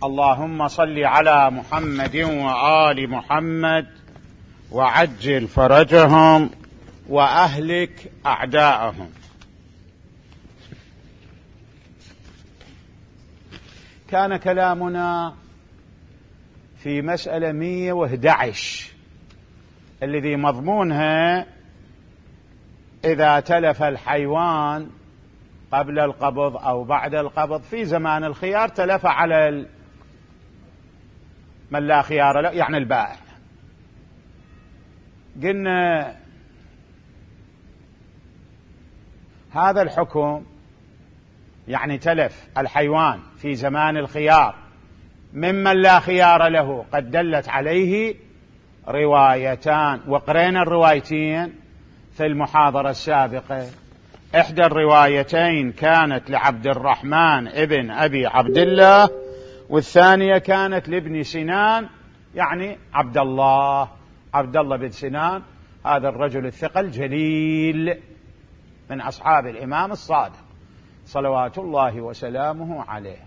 اللهم صل على محمد وآل محمد وعجل فرجهم وأهلك أعداءهم. كان كلامنا في مسألة 111 الذي مضمونها إذا تلف الحيوان قبل القبض أو بعد القبض في زمان الخيار تلف على من لا خيار له، يعني البائع. قلنا هذا الحكم يعني تلف الحيوان في زمان الخيار ممن لا خيار له قد دلت عليه روايتان، وقرينا الروايتين في المحاضرة السابقة. إحدى الروايتين كانت لعبد الرحمن ابن أبي عبد الله، والثانية كانت لابن سنان، يعني عبد الله بن سنان، هذا الرجل الثقة الجليل من أصحاب الإمام الصادق صلوات الله وسلامه عليه.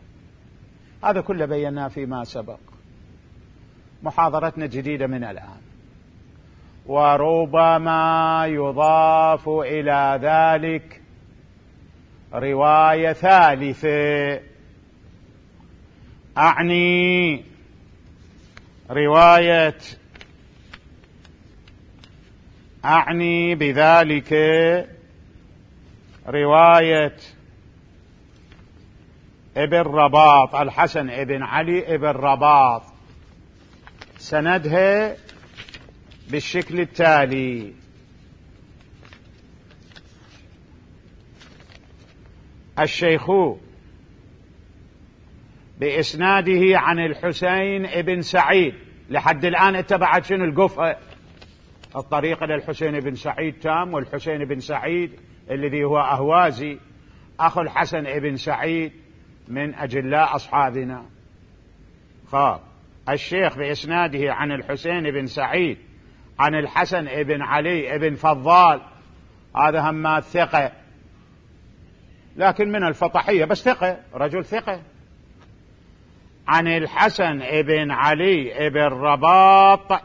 هذا كله بيناه فيما سبق. محاضرتنا جديدة من الآن، وربما يضاف إلى ذلك رواية ثالثة، أعني بذلك رواية ابن رباط، الحسن ابن علي ابن رباط، سندها بالشكل التالي: الشيخ بإسناده عن الحسين ابن سعيد. لحد الآن اتبعت شنو القفة؟ الطريق للحسين بن سعيد تام، والحسين بن سعيد الذي هو أهوازي أخو الحسن ابن سعيد من أجلاء أصحابنا. الشيخ بإسناده عن الحسين بن سعيد عن الحسن ابن علي ابن فضال، هذا هم ثقة لكن من الفطحية، بس ثقة، رجل ثقة. عن الحسن ابن علي ابن رباط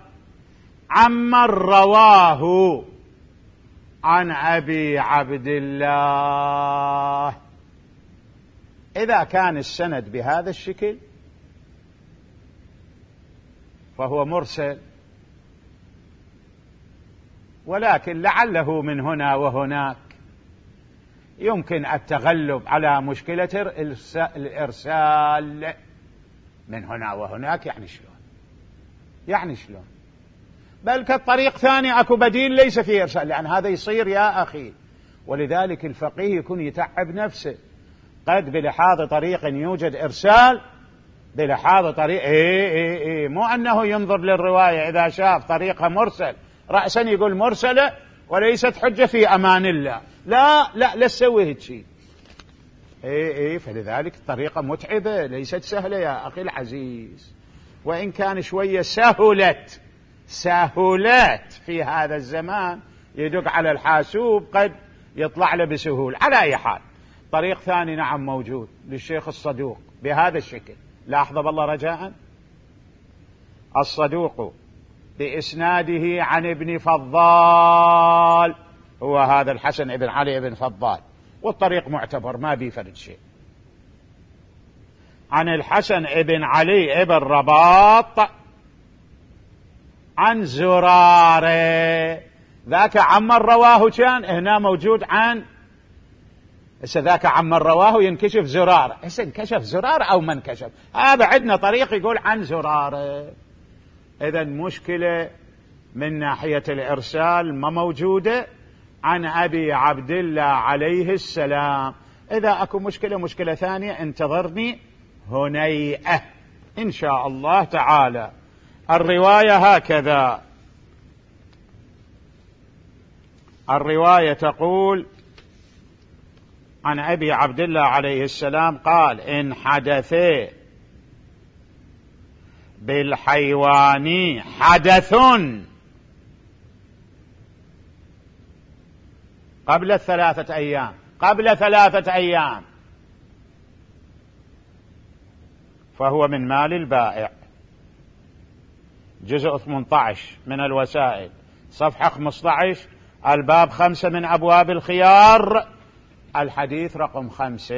عمن رواه عن أبي عبد الله. إذا كان السند بهذا الشكل فهو مرسل، ولكن لعله من هنا وهناك يمكن التغلب على مشكلة الإرسال. من هنا وهناك يعني شلون؟ بل كالطريق ثاني أكو بديل ليس فيه إرسال، لأن هذا يصير يا أخي. ولذلك الفقيه يكون يتعب نفسه، قد بلحاظ طريق يوجد إرسال، بلحاظ طريق مو أنه ينظر للرواية إذا شاف طريقها مرسل رأسا يقول مرسلة وليست حجة في أمان الله. لا تسوي هيك شيء. فلذلك الطريقة متعبة، ليست سهلة يا أخي العزيز، وإن كان شوية سهولات في هذا الزمان، يدق على الحاسوب قد يطلع له بسهولة. على أي حال، طريق ثاني نعم موجود للشيخ الصدوق بهذا الشكل. لاحظ بالله رجاء: الصدوق بإسناده عن ابن فضال، هو هذا الحسن ابن علي ابن فضال، والطريق معتبر ما بيفرد شيء. عن الحسن ابن علي ابن رباط عن زرارة، ذاك عمن رواه كان هنا موجود عن، ذاك عمن رواه ينكشف زرارة، انكشف زرارة أو من كشف، هذا عندنا طريق يقول عن زرارة. إذا مشكلة من ناحية الإرسال ما موجودة عن أبي عبد الله عليه السلام. إذا أكو مشكلة ثانية انتظرني هنيئة إن شاء الله تعالى. الرواية هكذا: الرواية تقول عن أبي عبد الله عليه السلام قال: إن حدث بالحيوان حدث قبل 3 أيام، فهو من مال البائع. جزء 18 من الوسائل، صفحة 15، الباب 5 من أبواب الخيار، الحديث رقم 5.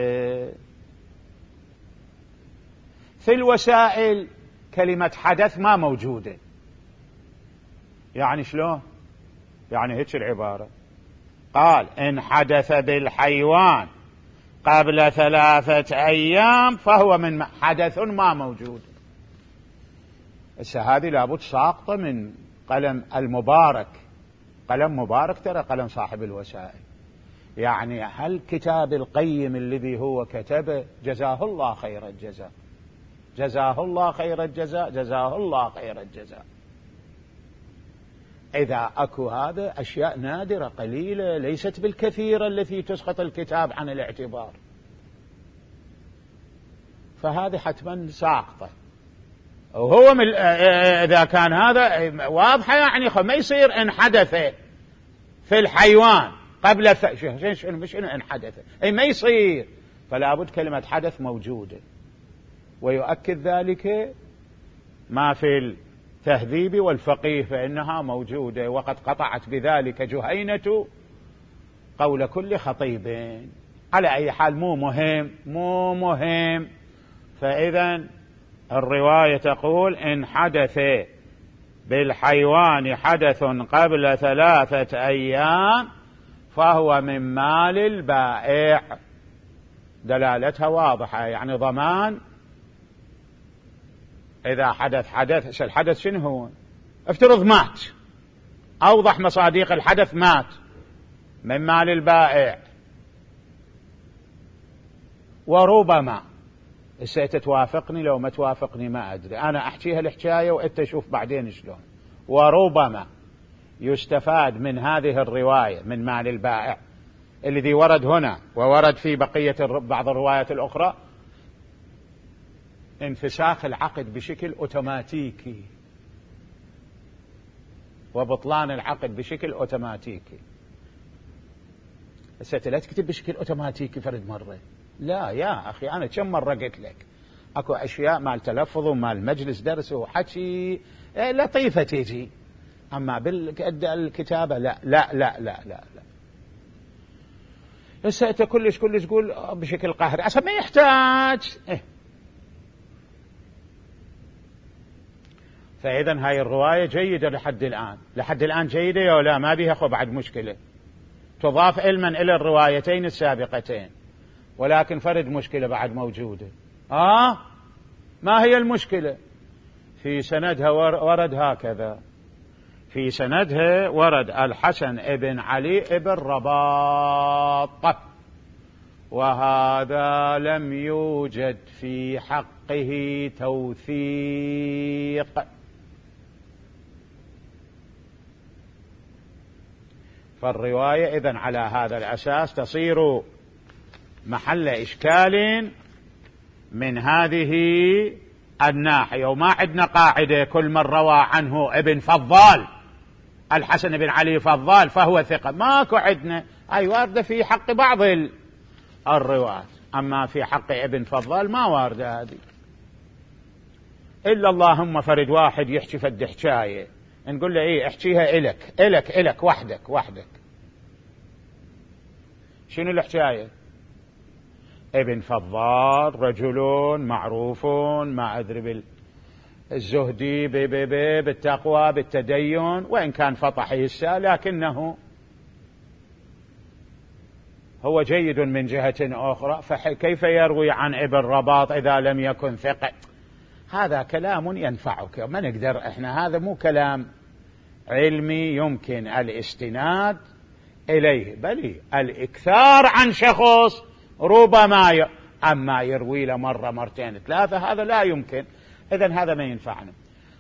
في الوسائل كلمة حدث ما موجودة. يعني شلون؟ يعني هيك العبارة، قال إن حدث بالحيوان قبل 3 أيام فهو من حدث ما موجود. هذه لابد ساقطة من قلم المبارك، قلم مبارك ترى قلم صاحب الوسائل. يعني هل كتاب القيم الذي هو كتبه جزاه الله خير الجزاء، جزاه الله خير الجزاء، جزاه الله خير الجزاء. إذا أكو هذا أشياء نادرة قليلة ليست بالكثيرة التي تسقط الكتاب عن الاعتبار، فهذه حتما ساقطة. وهو إذا كان هذا واضحة يعني ما يصير إن حدث في الحيوان قبل مش إن حدث، أي ما يصير. فلا بد كلمة حدث موجودة، ويؤكد ذلك ما في التهذيب والفقيه فإنها موجودة، وقد قطعت بذلك جهينة قول كل خطيب. على أي حال مو مهم. فإذا الرواية تقول إن حدث بالحيوان حدث قبل 3 أيام فهو من مال البائع. دلالتها واضحة، يعني ضمان. إذا حدث الحدث شنو هو؟ افترض مات، أوضح مصادق الحدث مات، من مال البائع. وربما ستتوافقني لو ما توافقني ما أدري، أنا أحكيها الحكاية وأنت شوف بعدين شلون. وربما يستفاد من هذه الرواية من مال البائع الذي ورد هنا وورد في بقية بعض الروايات الأخرى انفساخ العقد بشكل أوتوماتيكي وبطلان العقد بشكل أوتوماتيكي. لا تكتب بشكل أوتوماتيكي فرد مرة، لا يا أخي، أنا كم مرة قلت لك أكو أشياء مال تلفظ ومال مجلس درس وحكي لطيفة تيجي، أما بالكتابة لا لا لا لا لا لا. هسه أنت كلش تقول بشكل قهري عشان ما يحتاج. فإذا هاي الرواية جيدة لحد الآن جيدة يا لا، ما بيها بعد مشكلة، تضاف علما إلى الروايتين السابقتين، ولكن فرد مشكلة بعد موجودة. ما هي المشكلة؟ في سندها ورد هكذا، في سندها ورد الحسن ابن علي ابن رباط، وهذا لم يوجد في حقه توثيق. فالرواية إذن على هذا الأساس تصير محل إشكال من هذه الناحية. وما عندنا قاعدة كل من روى عنه ابن فضال الحسن بن علي فضال فهو ثقة، ماكو عندنا. أي واردة في حق بعض الرواة، أما في حق ابن فضال ما واردة هذه. إلا اللهم فرد واحد يحكي فد حكاية نقول له احكيها إلك وحدك. شنو الحكاية؟ ابن فضال رجل معروف ما أدري بالزهدي بالتقوى بالتدين، وإن كان فطح هسه لكنه هو جيد من جهة أخرى، فكيف يروي عن ابن رباط إذا لم يكن ثقة؟ هذا كلام ينفعك، ما نقدر إحنا، هذا مو كلام علمي يمكن الاستناد إليه، بل الإكثار عن شخص ربما أما يروي له مرة مرتين 3 هذا لا يمكن. إذن هذا ما ينفعنا.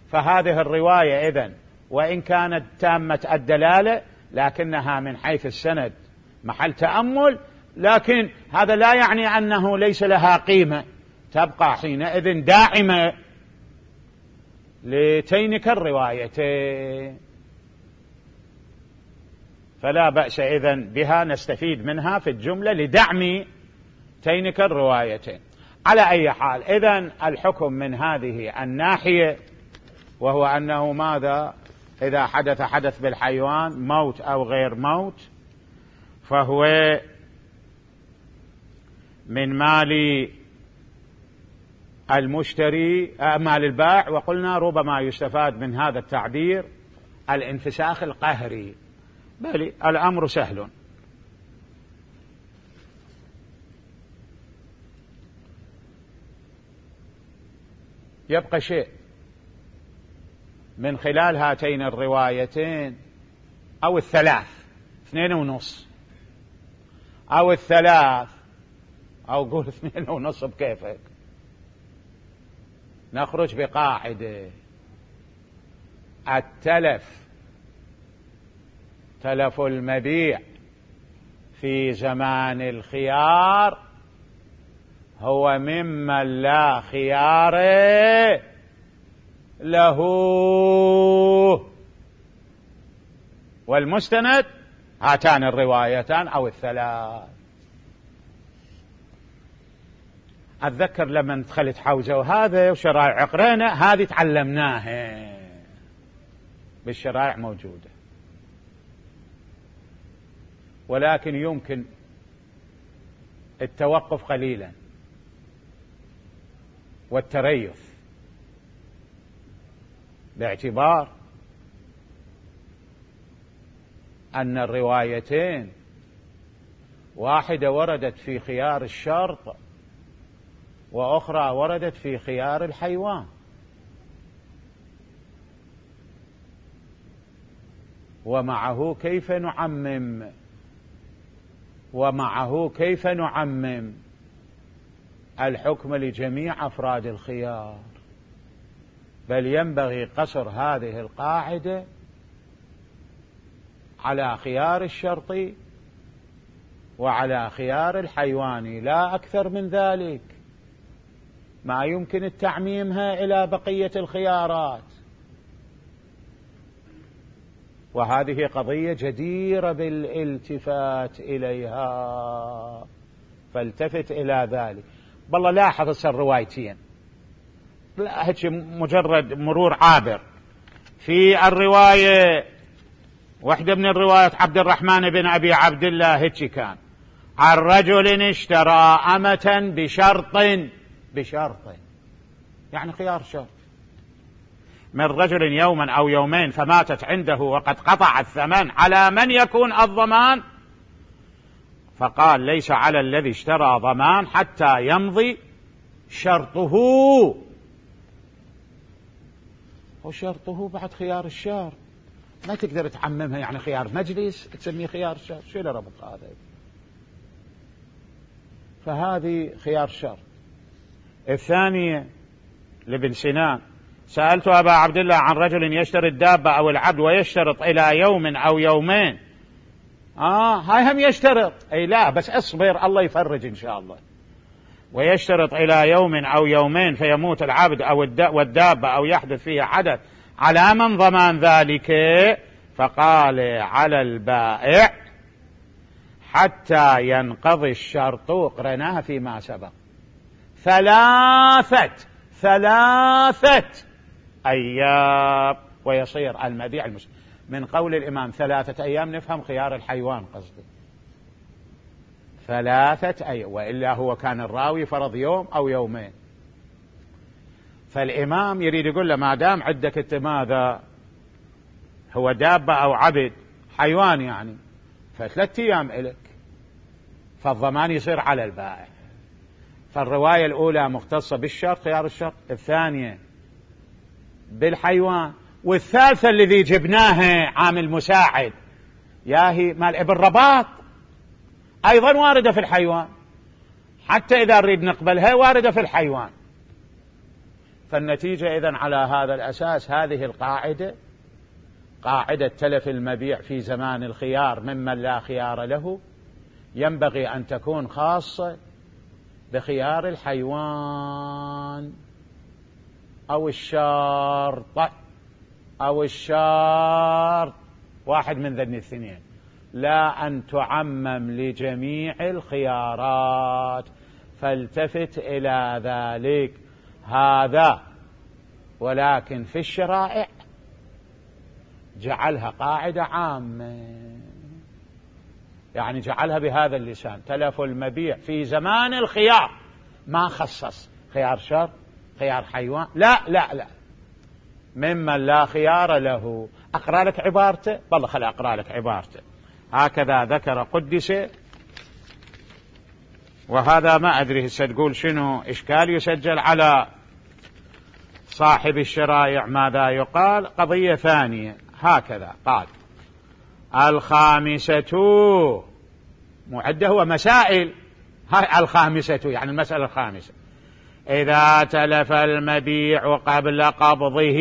فهذه الرواية إذن وإن كانت تامة الدلالة لكنها من حيث السند محل تأمل، لكن هذا لا يعني أنه ليس لها قيمة، تبقى حينئذ داعمة لتينك الروايتين. فلا بأس إذن بها، نستفيد منها في الجملة لدعم تينك الروايتين. على أي حال، إذن الحكم من هذه الناحية، وهو أنه ماذا؟ إذا حدث بالحيوان موت أو غير موت فهو من مال المشتري، مال البائع. وقلنا ربما يستفاد من هذا التعبير الانفساخ القهري، بل الأمر سهل. يبقى شيء من خلال هاتين الروايتين أو الثلاث، 2.5 أو الثلاث، أو قول 2.5 بكيفك، نخرج بقاعدة: تلف المبيع في زمان الخيار هو ممن لا خيار له. والمستند هاتان الروايتان أو الثلاث. أتذكر لما دخلت حوزة وهذا وشرائع قرينا، هذه تعلمناها بالشرائع موجودة، ولكن يمكن التوقف قليلا والتريث، باعتبار أن الروايتين واحدة وردت في خيار الشرط وأخرى وردت في خيار الحيوان، ومعه كيف نعمم الحكم لجميع أفراد الخيار؟ بل ينبغي قصر هذه القاعدة على خيار الشرطي وعلى خيار الحيواني، لا أكثر من ذلك. ما يمكن التعميمها إلى بقية الخيارات، وهذه قضية جديرة بالالتفات إليها، فالتفت إلى ذلك. بالله لاحظ الروايتين، لا هيك مجرد مرور عابر. في الرواية واحدة من الروايات عبد الرحمن بن أبي عبد الله هيك كان: عن رجل اشترى أمة بشرط، يعني خيار شرط، من رجل يوما أو يومين فماتت عنده وقد قطع الثمن، على من يكون الضمان؟ فقال: ليس على الذي اشترى ضمان حتى يمضي شرطه. وشرطه بعد خيار الشرط، ما تقدر تعممها يعني خيار مجلس تسميه خيار شرط، شو اللي ربط هذا؟ فهذه خيار شرط. الثانية لابن سنان: سألت أبا عبد الله عن رجل يشتري الدابة أو العبد ويشترط إلى يوم أو يومين. هاي هم يشترط، أي لا بس اصبر الله يفرج إن شاء الله. ويشترط إلى يوم أو يومين فيموت العبد أو والدابة أو يحدث فيها حدث، على من ضمان ذلك؟ فقال: على البائع حتى ينقضي الشرط. قرناها فيما سبق، ثلاثة أيام ويصير المبيع المسلم. من قول الإمام 3 أيام نفهم خيار الحيوان قصده 3 أيام، وإلا هو كان الراوي فرض يوم أو يومين. فالإمام يريد يقول له ما دام عندك ماذا هو دابة أو عبد حيوان يعني، ف3 أيام إلك، فالضمان يصير على البائع. فالرواية الأولى مختصة بالشرط خيار الشرط، الثانية بالحيوان، والثالثة الذي جبناها عامل مساعد ياهي مال ابن رباط أيضا واردة في الحيوان، حتى إذا نريد نقبلها واردة في الحيوان. فالنتيجة إذن على هذا الأساس هذه القاعدة، قاعدة تلف المبيع في زمان الخيار ممن لا خيار له، ينبغي أن تكون خاصة بخيار الحيوان أو الشرط، واحد من ذني الاثنين، لا أن تعمم لجميع الخيارات. فالتفت إلى ذلك. هذا ولكن في الشرائع جعلها قاعدة عامة، يعني جعلها بهذا اللسان: تلف المبيع في زمان الخيار، ما خصص خيار شر خيار حيوان، لا لا لا، ممن لا خيار له. أقرأ لك عبارته، والله خلي أقرأ لك عبارته. هكذا ذكر قدس. وهذا ما أدري ستقول شنو إشكال يسجل على صاحب الشرائع ماذا يقال. قضية ثانية هكذا قال: الخامسة، معده هو مسائل، هاي الخامسة يعني المسألة الخامسة: إذا تلف المبيع قبل قبضه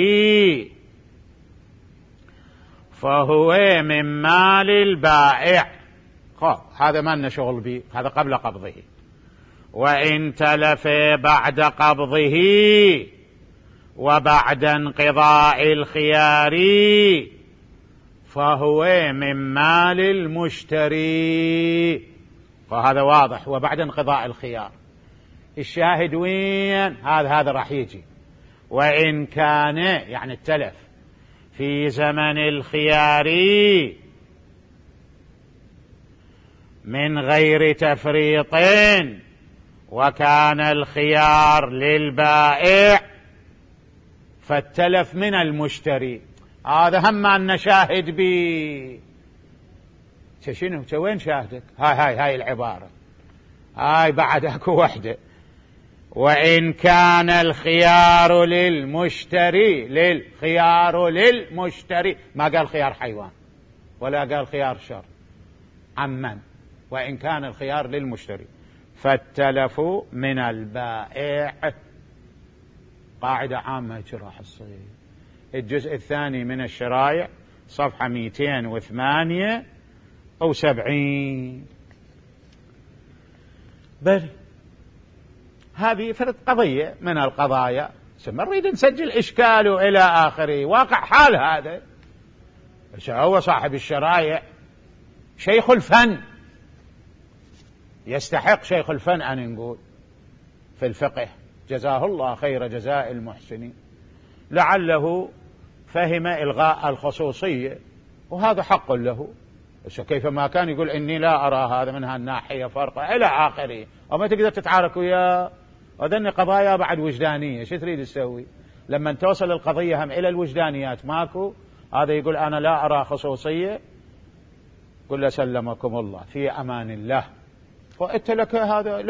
فهو من مال البائع. هذا ما لنا شغل به، هذا قبل قبضه. وإن تلف بعد قبضه وبعد انقضاء الخيار فهو من مال المشتري. وهذا واضح، وبعد انقضاء الخيار. الشاهد وين؟ هذا راح يجي: وإن كان يعني التلف في زمن الخيار من غير تفريط وكان الخيار للبائع فالتلف من المشتري. هذا هم أن نشاهد بي. شنو وين شاهدك؟ هاي العبارة، هاي بعد اكو وحدة: وإن كان الخيار للمشتري. للخيار للمشتري، ما قال خيار حيوان ولا قال خيار شر، عمن. وإن كان الخيار للمشتري فالتلف من البائع. قاعدة عامة راح تصير. الجزء الثاني من الشرائع صفحة 278. بل هذه فرد قضية من القضايا، نريد نسجل إشكاله إلى آخره. واقع حال هذا. هو صاحب الشرائع شيخ الفن، يستحق شيخ الفن أن نقول في الفقه، جزاه الله خير جزاء المحسنين. لعله فهم إلغاء الخصوصية، وهذا حق له. كيفما كان يقول إني لا أرى هذا من هالناحية فرقا إلى آخره، وما تقدر تتعارك وياه. وذن قضايا بعد وجدانية، شو تريد تسوي لما توصل القضية هم إلى الوجدانيات؟ ماكو. هذا يقول أنا لا أرى خصوصية، قل سلمكم الله في أمان الله، وأنت لك هذا،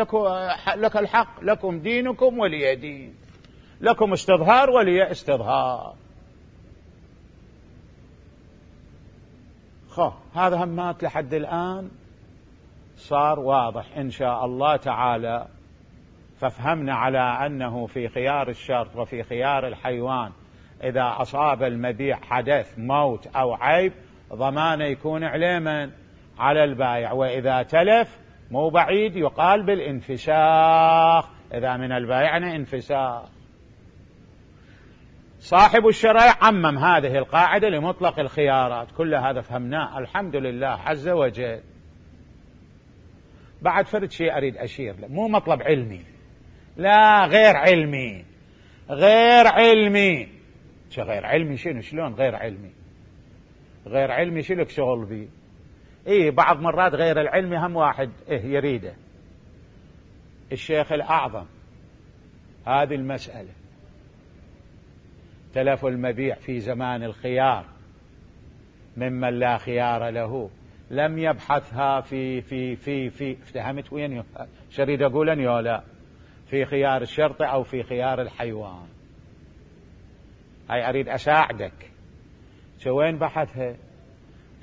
لك الحق، لكم دينكم ولي دين، لكم استظهار ولي استظهار. هذا همات لحد الآن صار واضح إن شاء الله تعالى. فافهمنا على أنه في خيار الشرط وفي خيار الحيوان إذا أصاب المبيع حدث موت أو عيب ضمانه يكون عليما على البائع، وإذا تلف مو بعيد يقال بالانفساخ، إذا من البائع انفساخ. صاحب الشرائع عمم هذه القاعدة لمطلق الخيارات. كل هذا فهمناه الحمد لله عز وجل. بعد فرد شيء أريد أشير له، مو مطلب علمي، لا غير علمي. غير علمي غير علمي شنو؟ شلون غير علمي؟ غير علمي شلك شغل بي؟ بعض مرات غير العلمي هم واحد يريده. الشيخ الأعظم هذه المسألة تلف المبيع في زمان الخيار ممن لا خيار له لم يبحثها في افتهمت وين شريد أقول يا لا في خيار الشرط أو في خيار الحيوان. هاي أريد أساعدك. وين بحثها؟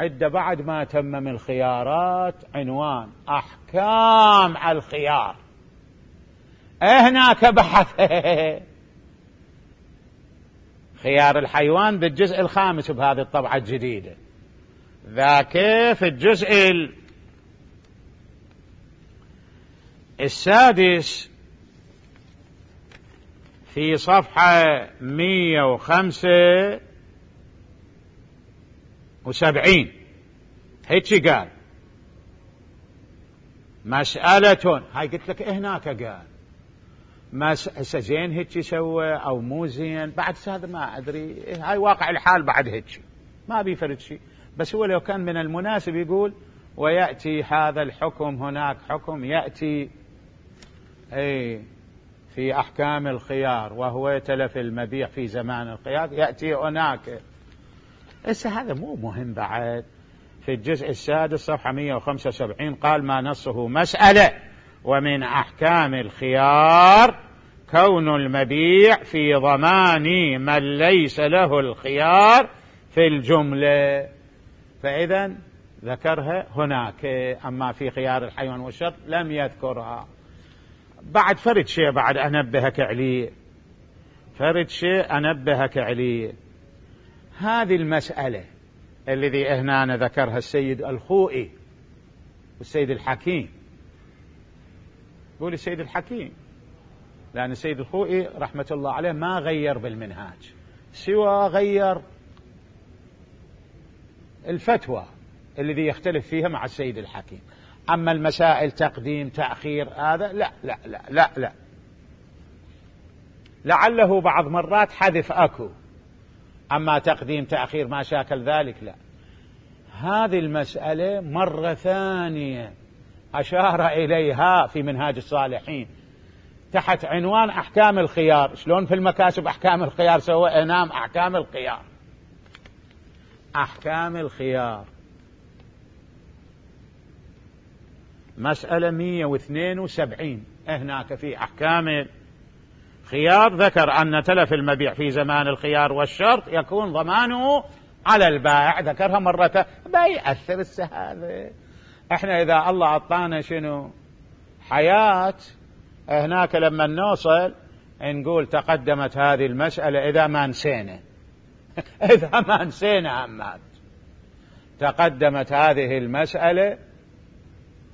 عدة بعد ما تمم الخيارات عنوان أحكام الخيار، هناك بحثها. خيار الحيوان بالجزء الخامس بهذه الطبعة الجديدة، ذاك في الجزء السادس في صفحة 175. هيك قال مسألة، هاي قلت لك هناك قال زين هيك سوى أو مو زين، بعد هذا ما أدري، هاي واقع الحال بعد هيك ما بيفرد شيء. بس هو لو كان من المناسب يقول ويأتي هذا الحكم، هناك حكم يأتي في أحكام الخيار وهو تلف المبيع في زمان الخيار، يأتي هناك. هذا مو مهم. بعد في الجزء السادس صفحة 175 قال ما نصه مسألة ومن أحكام الخيار كون المبيع في ضمان من ليس له الخيار في الجملة. فإذا ذكرها هناك، أما في خيار الحيوان والشرط لم يذكرها. بعد فرد شيء بعد أنبهك عليه، فرد شيء أنبهك عليه. هذه المسألة الذي هنا ذكرها السيد الخوئي والسيد الحكيم، يقول السيد الحكيم لأن السيد الخوئي رحمة الله عليه ما غير بالمنهاج، سوى غير الفتوى الذي يختلف فيها مع السيد الحكيم. أما المسائل تقديم تأخير هذا لا لا لا لا لا، لعله بعض مرات حذف أكو، أما تقديم تأخير ما شاكل ذلك لا. هذه المسألة مرة ثانية أشار إليها في منهاج الصالحين تحت عنوان أحكام الخيار. شلون في المكاسب أحكام الخيار سوى إنام أحكام الخيار، أحكام الخيار مسألة 172 هناك في أحكام الخيار ذكر أن تلف المبيع في زمان الخيار والشرط يكون ضمانه على البائع. ذكرها مرة بيأثر هذا. احنا إذا الله أعطانا شنو حياة هناك لما نوصل نقول تقدمت هذه المسألة إذا ما نسينا إذا ما نسينا أمات تقدمت هذه المسألة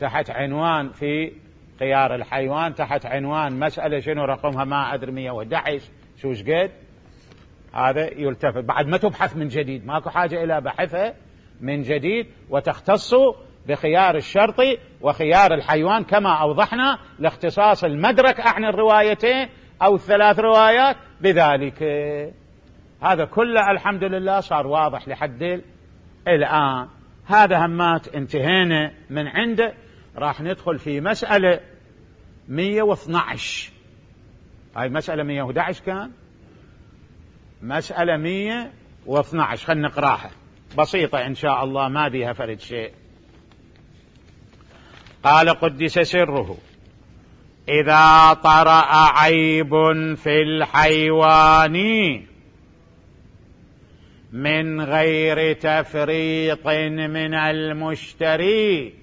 تحت عنوان في خيار الحيوان، تحت عنوان مسألة شنو رقمها ما أدري 111 شو قد. هذا يلتفت بعد ما تبحث من جديد، ماكو حاجة إلى بحثها من جديد وتختص بخيار الشرط وخيار الحيوان كما أوضحنا لاختصاص المدرك عن الروايتين أو الثلاث روايات بذلك. هذا كله الحمد لله صار واضح لحد الآن. هذا همات انتهينا من عنده. راح ندخل في مسألة 112. هاي مسألة 111 كان مسألة 112 خلنا نقراها بسيطة إن شاء الله ما بيها فرد شيء. قال قدس سره إذا طرأ عيب في الحيوان من غير تفريط من المشتري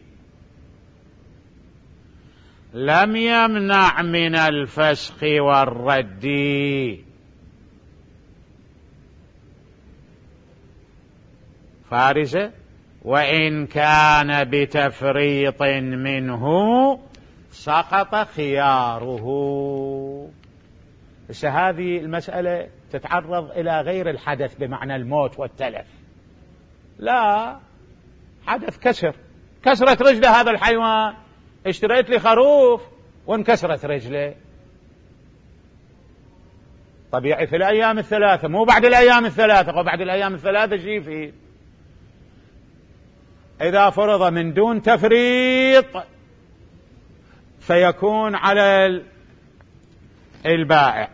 لم يمنع من الفسخ والرد. فارزة وإن كان بتفريط منه سقط خياره. بس هذه المسألة تتعرض إلى غير الحدث بمعنى الموت والتلف، لا حدث كسرت رجله هذا الحيوان، اشتريت لي خروف وانكسرت رجله، طبيعي في الأيام الثلاثة مو بعد الأيام الثلاثة. وبعد الأيام الثلاثة شيء فيه إذا فرض من دون تفريط فيكون على البائع،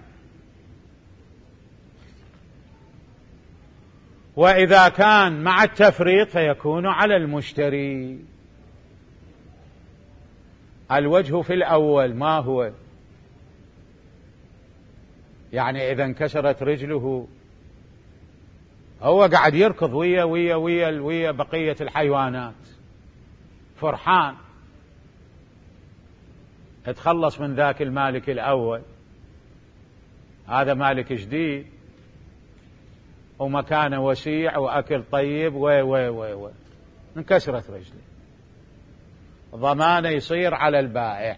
وإذا كان مع التفريط فيكون على المشتري. الوجه في الأول ما هو؟ يعني إذا انكسرت رجله هو قاعد يركض ويا بقية الحيوانات فرحان، اتخلص من ذاك المالك الأول، هذا مالك جديد ومكانه وسيع وأكل طيب انكسرت رجله، ضمانه يصير على البائع.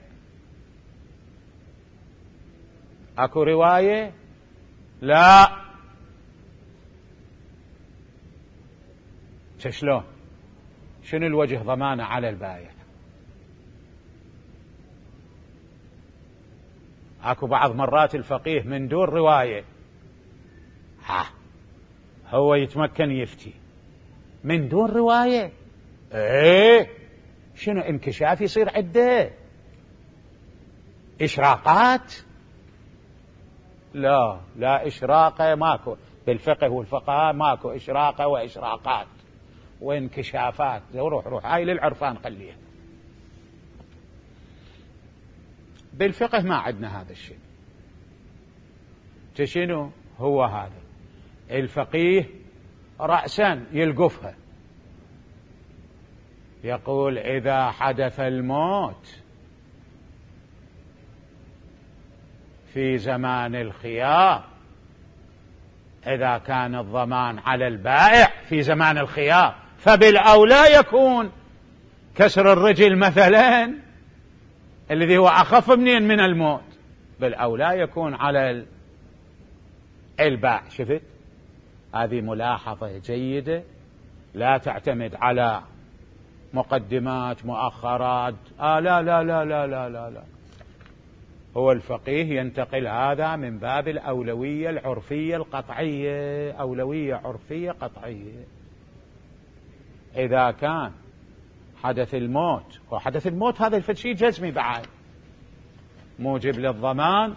اكو رواية لا شلون؟ شنو الوجه ضمانه على البائع؟ اكو بعض مرات الفقيه من دون رواية هو يتمكن يفتي من دون رواية. ايه شنو انكشاف يصير عده إشراقات؟ لا إشراقة ماكو بالفقه والفقهاء، ماكو إشراقة وإشراقات وانكشافات. روح هاي للعرفان خليها. بالفقه ما عندنا هذا الشيء. شنو هو هذا؟ الفقيه رأسا يلقفها، يقول إذا حدث الموت في زمان الخيار، إذا كان الضمان على البائع في زمان الخيار، فبالأولى يكون كسر الرجل مثلا الذي هو أخف من الموت، بالأولى يكون على البائع. شفت؟ هذه ملاحظة جيدة، لا تعتمد على مقدمات مؤخرات. لا لا لا لا لا لا لا. هو الفقيه ينتقل هذا من باب الأولوية العرفية القطعية، أولوية عرفية قطعية. إذا كان حدث الموت، وحدث الموت هذا الشيء جزمي بعد موجب للضمان،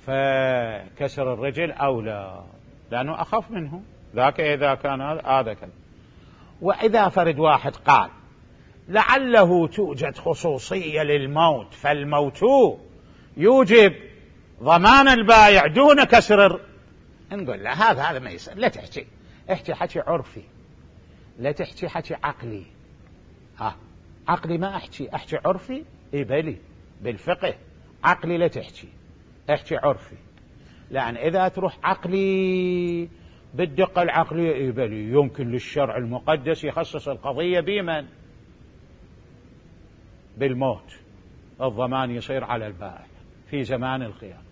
فكسر الرجل أولى لأنه أخف منه ذاك. إذا كان هذا كذا. وإذا فرد واحد قال لعله توجد خصوصية للموت، فالموت يوجب ضمان البائع دون كسر نقول لا، هذا ما يصير. لا احكي حكي عرفي، لا تحكي حكي عقلي. عقلي ما احكي عرفي. بلي بالفقه عقلي لا احكي عرفي، لأن إذا تروح عقلي بالدقة العقلية بلي يمكن للشرع المقدس يخصص القضية بمن؟ بالموت، الضمان يصير على البائع في زمان الخيار.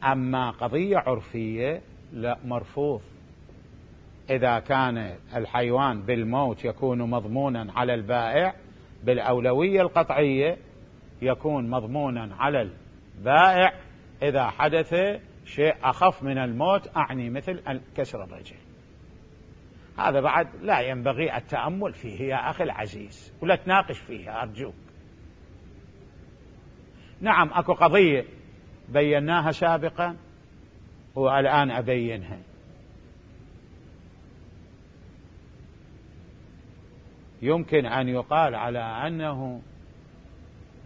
أما قضية عرفية لا، مرفوض. إذا كان الحيوان بالموت يكون مضمونا على البائع، بالأولوية القطعية يكون مضمونا على البائع إذا حدث شيء أخف من الموت، أعني مثل كسر الرجل. هذا بعد لا ينبغي التأمل فيه يا أخي العزيز، ولا تناقش فيها أرجوك. نعم أكو قضية بيناها سابقا والآن أبينها. يمكن أن يقال على أنه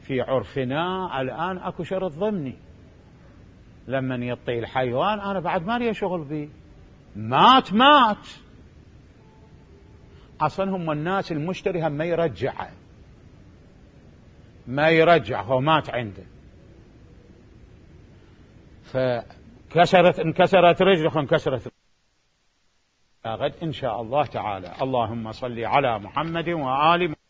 في عرفنا الآن أكو شرط ضمني، لمن يطي الحيوان أنا بعد ما لي شغل به، مات أصلا هم الناس المشتري هم ما يرجع هو مات عنده، انكسرت رجله انكسرت غد إن شاء الله تعالى. اللهم صل على محمد وآل محمد.